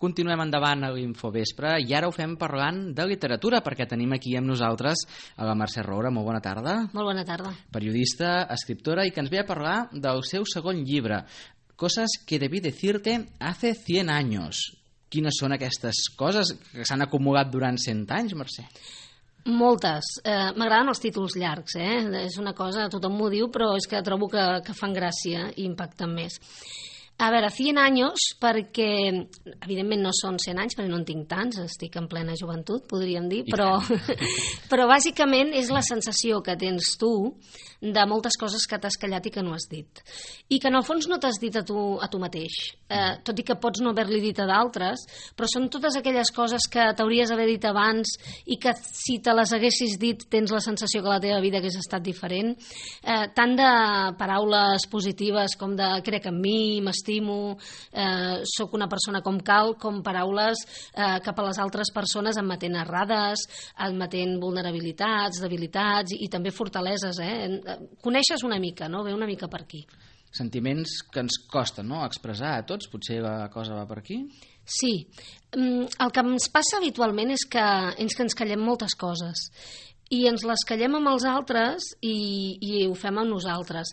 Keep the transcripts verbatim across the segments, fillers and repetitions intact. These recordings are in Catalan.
Continuem endavant a l'Infovespre i ara ho fem parlant de literatura perquè tenim aquí amb nosaltres a la Mercè Roura. Molt bona tarda. Molt bona tarda. Periodista, escriptora i que ens ve a parlar del seu segon llibre, Cosas que debí decirte hace cien años. Quines són aquestes coses que s'han acumulat durant cent anys, Mercè? Moltes. Eh, M'agraden els títols llargs, eh? És una cosa, tothom m'ho diu, però és que trobo que, que fan gràcia i impacten més. A veure, cien anys, perquè evidentment no són cent anys, perquè no en tinc tants, estic en plena joventut, podríem dir, però, però bàsicament és la sensació que tens tu de moltes coses que t'has callat i que no has dit. I que en el fons no t'has dit a tu, a tu mateix, eh, tot i que pots no haver-li dit a d'altres, però són totes aquelles coses que t'hauries d'haver dit abans i que si te les haguessis dit tens la sensació que la teva vida hagués estat diferent, eh, tant de paraules positives com de crec en mi, m'estimo, eh, sóc una persona com cal, com paraules eh, cap a les altres persones admetent errades, admetent vulnerabilitats, debilitats i, i també fortaleses, eh? Coneixes una mica, no? Ve una mica per aquí. Sentiments que ens costa, no?, expressar a tots, potser la cosa va per aquí? Sí. El que ens passa habitualment és que, és que ens callem moltes coses i ens les callem amb els altres i, i ho fem amb nosaltres.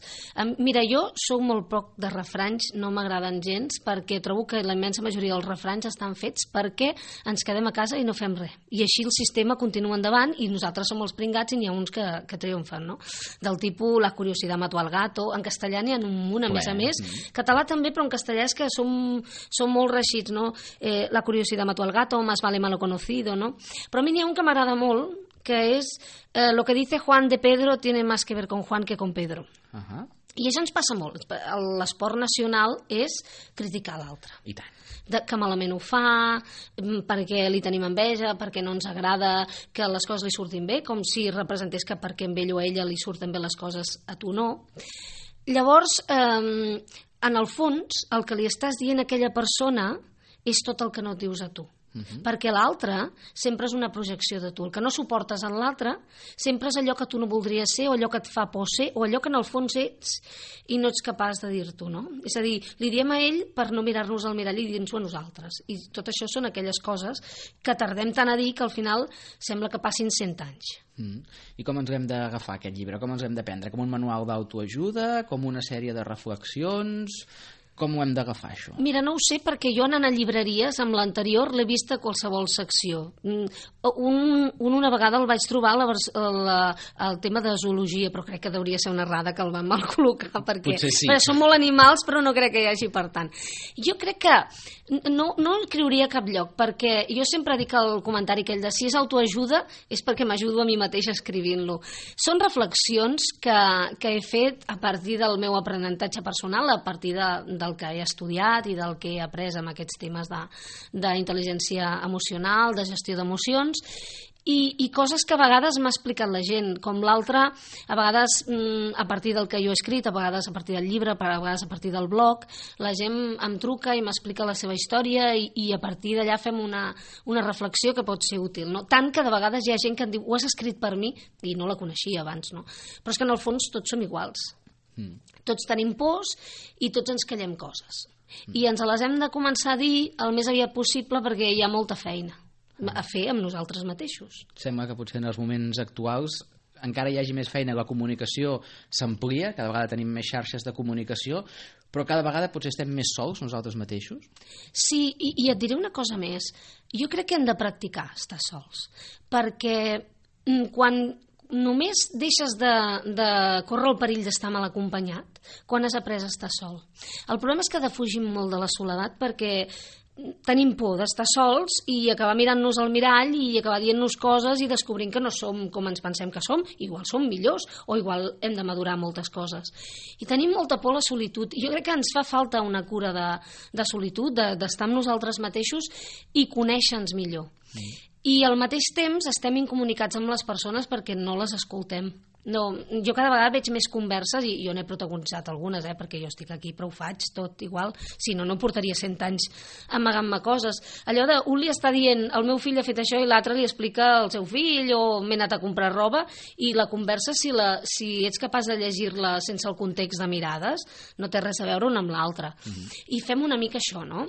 Mira, jo sóc molt poc de refranys, no m'agraden gens, perquè trobo que la immensa majoria dels refranys estan fets perquè ens quedem a casa i no fem res. I així el sistema continua endavant i nosaltres som els pringats i n'hi ha uns que, que triomfen, no? Del tipus la curiosidad mató al gato, en castellà n'hi ha un munt, a més a més. Català també, però en castellà és que som, som molt reixits, no? Eh, la curiosidad mató al gato, más vale malo conocido, no? Però a mi n'hi ha un que m'agrada molt, que és eh, lo que dice Juan de Pedro tiene más que ver con Juan que con Pedro. Uh-huh. I això ens passa molt. L'esport nacional és criticar l'altre. I tant. De, que malament ho fa, perquè li tenim enveja, perquè no ens agrada que les coses li surtin bé, com si representés que perquè amb ell o a ella li surten bé les coses a tu no. Llavors, eh, en el fons, el que li estàs dient a aquella persona és tot el que no et dius a tu. Uh-huh. Perquè l'altre sempre és una projecció de tu. El que no suportes en l'altre sempre és allò que tu no voldries ser o allò que et fa por ser o allò que en el fons ets i no ets capaç de dir-t'ho, no? És a dir, li diem a ell per no mirar-nos al mirall i dir-nos-ho a nosaltres. I tot això són aquelles coses que tardem tant a dir que al final sembla que passin cent anys. Mm. I com ens hem d'agafar aquest llibre? Com ens hem de prendre? Com un manual d'autoajuda? Com una sèrie de reflexions? Com ho hem d'agafar, això? Mira, no ho sé, perquè jo anant a llibreries, amb l'anterior, l'he vist a qualsevol secció. Un, un, una vegada el vaig trobar la, la, el tema de zoologia, però crec que hauria ser una errada que el van mal col·locar, perquè, sí. perquè són molt animals, però no crec que hi hagi per tant. Jo crec que no, no el creuria a cap lloc, perquè jo sempre dic el comentari aquell de si és autoajuda és perquè m'ajudo a mi mateixa escrivint-lo. Són reflexions que, que he fet a partir del meu aprenentatge personal, a partir de, de del que he estudiat i del que he après amb aquests temes d'intel·ligència emocional, de gestió d'emocions, i, i coses que a vegades m'ha explicat la gent, com l'altra, a vegades mm, a partir del que jo he escrit, a vegades a partir del llibre, a vegades a partir del blog, la gent em truca i m'explica la seva història i, i a partir d'allà fem una, una reflexió que pot ser útil, no? Tant que de vegades hi ha gent que em diu, ho has escrit per mi, i no la coneixia abans, no? Però és que en el fons tots som iguals. Mm. Tots tenim pors i tots ens callem coses. Mm. I ens les hem de començar a dir el més aviat possible perquè hi ha molta feina a fer amb nosaltres mateixos. Sembla que potser en els moments actuals encara hi hagi més feina, la comunicació s'amplia, cada vegada tenim més xarxes de comunicació, però cada vegada potser estem més sols nosaltres mateixos? Sí, i, i et diré una cosa més. Jo crec que hem de practicar estar sols, perquè quan només deixes de, de córrer el perill d'estar mal acompanyat quan has après a estar sol. El problema és que defugim molt de la soledat perquè tenim por d'estar sols i acabar mirant-nos al mirall i acabar dient-nos coses i descobrint que no som com ens pensem que som, igual som millors o igual hem de madurar moltes coses. I tenim molta por a la solitud. Jo crec que ens fa falta una cura de, de solitud, d'estar de, amb nosaltres mateixos i conèixer-nos millor. Mm. I al mateix temps estem incomunicats amb les persones perquè no les escoltem. No, jo cada vegada veig més converses i jo n'he protagonitzat algunes, eh, perquè jo estic aquí però ho faig tot igual, si no, no portaria cent anys amagant-me coses. Allò de un li està dient el meu fill ha fet això i l'altre li explica al seu fill o m'he anat a comprar roba i la conversa, si, la, si ets capaç de llegir-la sense el context de mirades, no té res a veure una amb l'altra. Mm-hmm. I fem una mica això, no?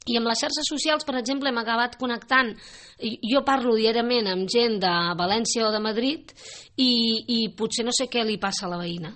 I amb les xarxes socials, per exemple, hem acabat connectant. Jo parlo diàriament amb gent de València o de Madrid i, i potser no sé què li passa a la veïna.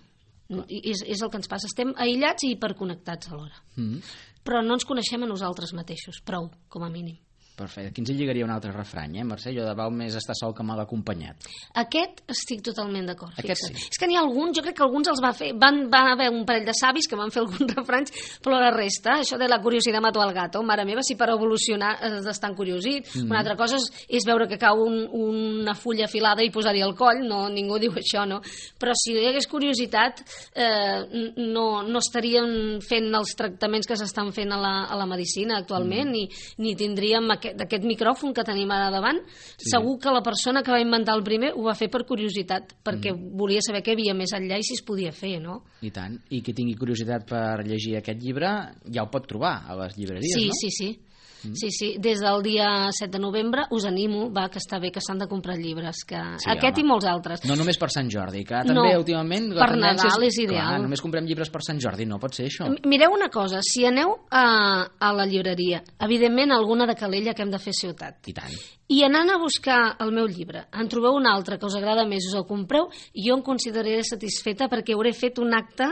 És, és el que ens passa. Estem aïllats i hiperconnectats alhora. Mm. Però no ens coneixem a nosaltres mateixos. Prou, com a mínim. Perfecte. Aquí ens lligaria un altre refrany, eh, Mercè? Allò de val més estar sol que mal acompanyat. Aquest estic totalment d'acord. Aquest sí. És que n'hi ha alguns, jo crec que alguns els va fer, van, van haver un parell de savis que van fer alguns refranys, però la resta, això de la curiositat mató al gato, mare meva, si per evolucionar has d'estar encuriosit. Mm. Una altra cosa és, és veure que cau un, una fulla afilada i posar-hi al coll, no, ningú diu això, no? Però si hi hagués curiositat, eh, no, no estaríem fent els tractaments que s'estan fent a la, a la medicina actualment, mm. ni, ni tindríem aquest d'aquest micròfon que tenim ara davant. Sí. Segur que la persona que va inventar el primer ho va fer per curiositat, perquè mm. volia saber què hi havia més enllà i si es podia fer, no? I tant. I qui tingui curiositat per llegir aquest llibre ja el pot trobar a les llibreries, sí, no? Sí, sí, sí. Mm. Sí, sí, des del dia set de novembre us animo, va, que està bé que s'han de comprar llibres, que sí, aquest home. I molts altres. No només per Sant Jordi, que també no, últimament... per Nadal és, és ideal. Clar, només comprem llibres per Sant Jordi, no pot ser això. Mireu una cosa, si aneu a, a la llibreria, evidentment alguna de Calella que hem de fer ciutat. I tant. I anant a buscar el meu llibre, en trobeu un altre que us agrada més, us el compreu, i jo em consideraré satisfeta perquè hauré fet un acte,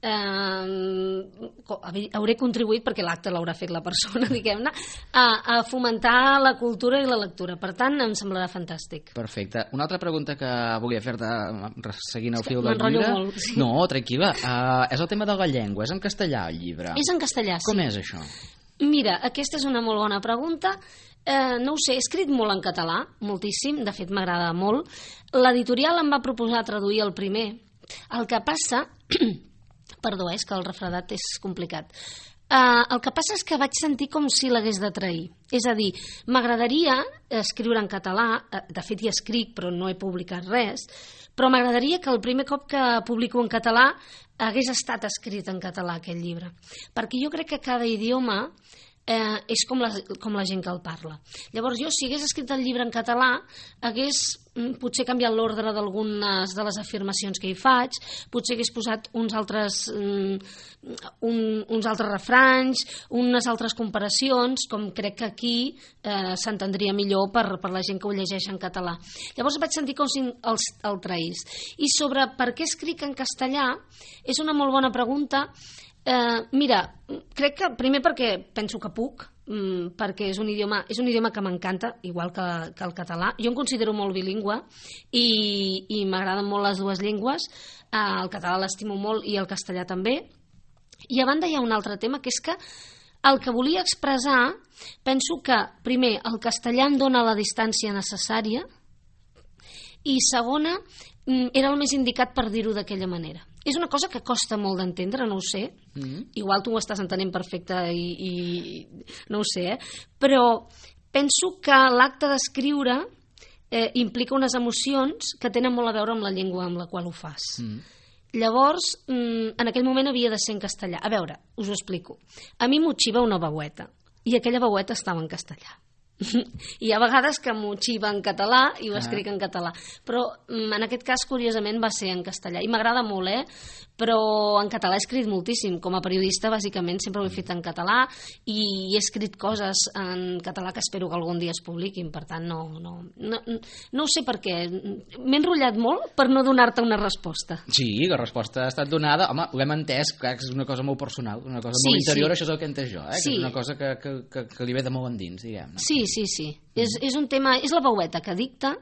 eh, hauré contribuït, perquè l'acte l'haurà fet la persona, diguem-ne, a, a fomentar la cultura i la lectura. Per tant, em semblarà fantàstic. Perfecte. Una altra pregunta que volia fer-te, seguint el fil del llibre... Molt, sí. No, tranquil·la. Uh, és el tema de la llengua, és en castellà el llibre. És en castellà, sí. Com és això? Mira, aquesta és una molt bona pregunta. Eh, no ho sé, he escrit molt en català, moltíssim, de fet m'agrada molt. L'editorial em va proposar traduir el primer. El que passa... Perdó, és que el refredat és complicat. Uh, el que passa és que vaig sentir com si l'hagués de trair. És a dir, m'agradaria escriure en català, de fet hi escric però no he publicat res, però m'agradaria que el primer cop que publico en català hagués estat escrit en català aquest llibre. Perquè jo crec que cada idioma eh, és com la, com la gent que el parla. Llavors jo, si hagués escrit el llibre en català, hagués potser canviat l'ordre d'algunes de les afirmacions que hi faig, potser hagués posat uns altres, um, un, uns altres refranys, unes altres comparacions, com crec que aquí eh, s'entendria millor per, per la gent que ho llegeix en català. Llavors vaig sentir com si el, el traís. I sobre per què escric en castellà, és una molt bona pregunta. Eh, mira, crec que primer perquè penso que puc, mm, perquè és un idioma, és un idioma que m'encanta, igual que, que el català. Jo em considero molt bilingüe i, i m'agraden molt les dues llengües. Eh, el català l'estimo molt i el castellà també. I a banda hi ha un altre tema, que és que el que volia expressar, penso que primer el castellà em dona la distància necessària i segona, era el més indicat per dir-ho d'aquella manera. És una cosa que costa molt d'entendre, no ho sé. Mm-hmm. Igual tu ho estàs entenent perfecte i, i no ho sé, eh? Però penso que l'acte d'escriure eh, implica unes emocions que tenen molt a veure amb la llengua amb la qual ho fas. Mm. Llavors, en aquell moment havia de ser en castellà. A veure, us ho explico. A mi m'utxiva una veueta i aquella veueta estava en castellà. Hi ha vegades que m'ho xiva en català i ho escric en català, però en aquest cas curiosament va ser en castellà i m'agrada molt, eh? Però en català he escrit moltíssim. Com a periodista bàsicament sempre ho he fet en català i he escrit coses en català que espero que algun dia es publiquin, per tant no, no, no, no ho sé per què m'he enrotllat molt per no donar-te una resposta. Sí, la resposta ha estat donada. Home, ho hem entès, clar, que és una cosa molt personal, una cosa sí, molt interior, sí. Això és el que he entès jo, eh? Sí. Que és una cosa que, que, que, que li ve de molt endins, diguem. No? Sí, sí, sí. Mm. És, és un tema, és la veueta que dicta,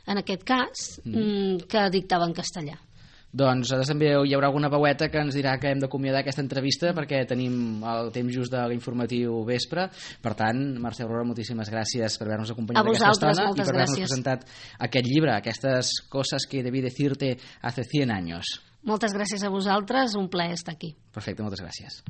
en aquest cas, mm. que dictava en castellà. Doncs també hi haurà alguna veueta que ens dirà que hem d'acomiadar aquesta entrevista perquè tenim el temps just de l'informatiu vespre. Per tant, Mercè Aurora, moltíssimes gràcies per haver-nos acompanyat aquesta estona i per haver-nos presentat aquest llibre, aquestes coses que debí decirte hace cien años. Moltes gràcies a vosaltres, un plaer estar aquí. Perfecte, moltes gràcies.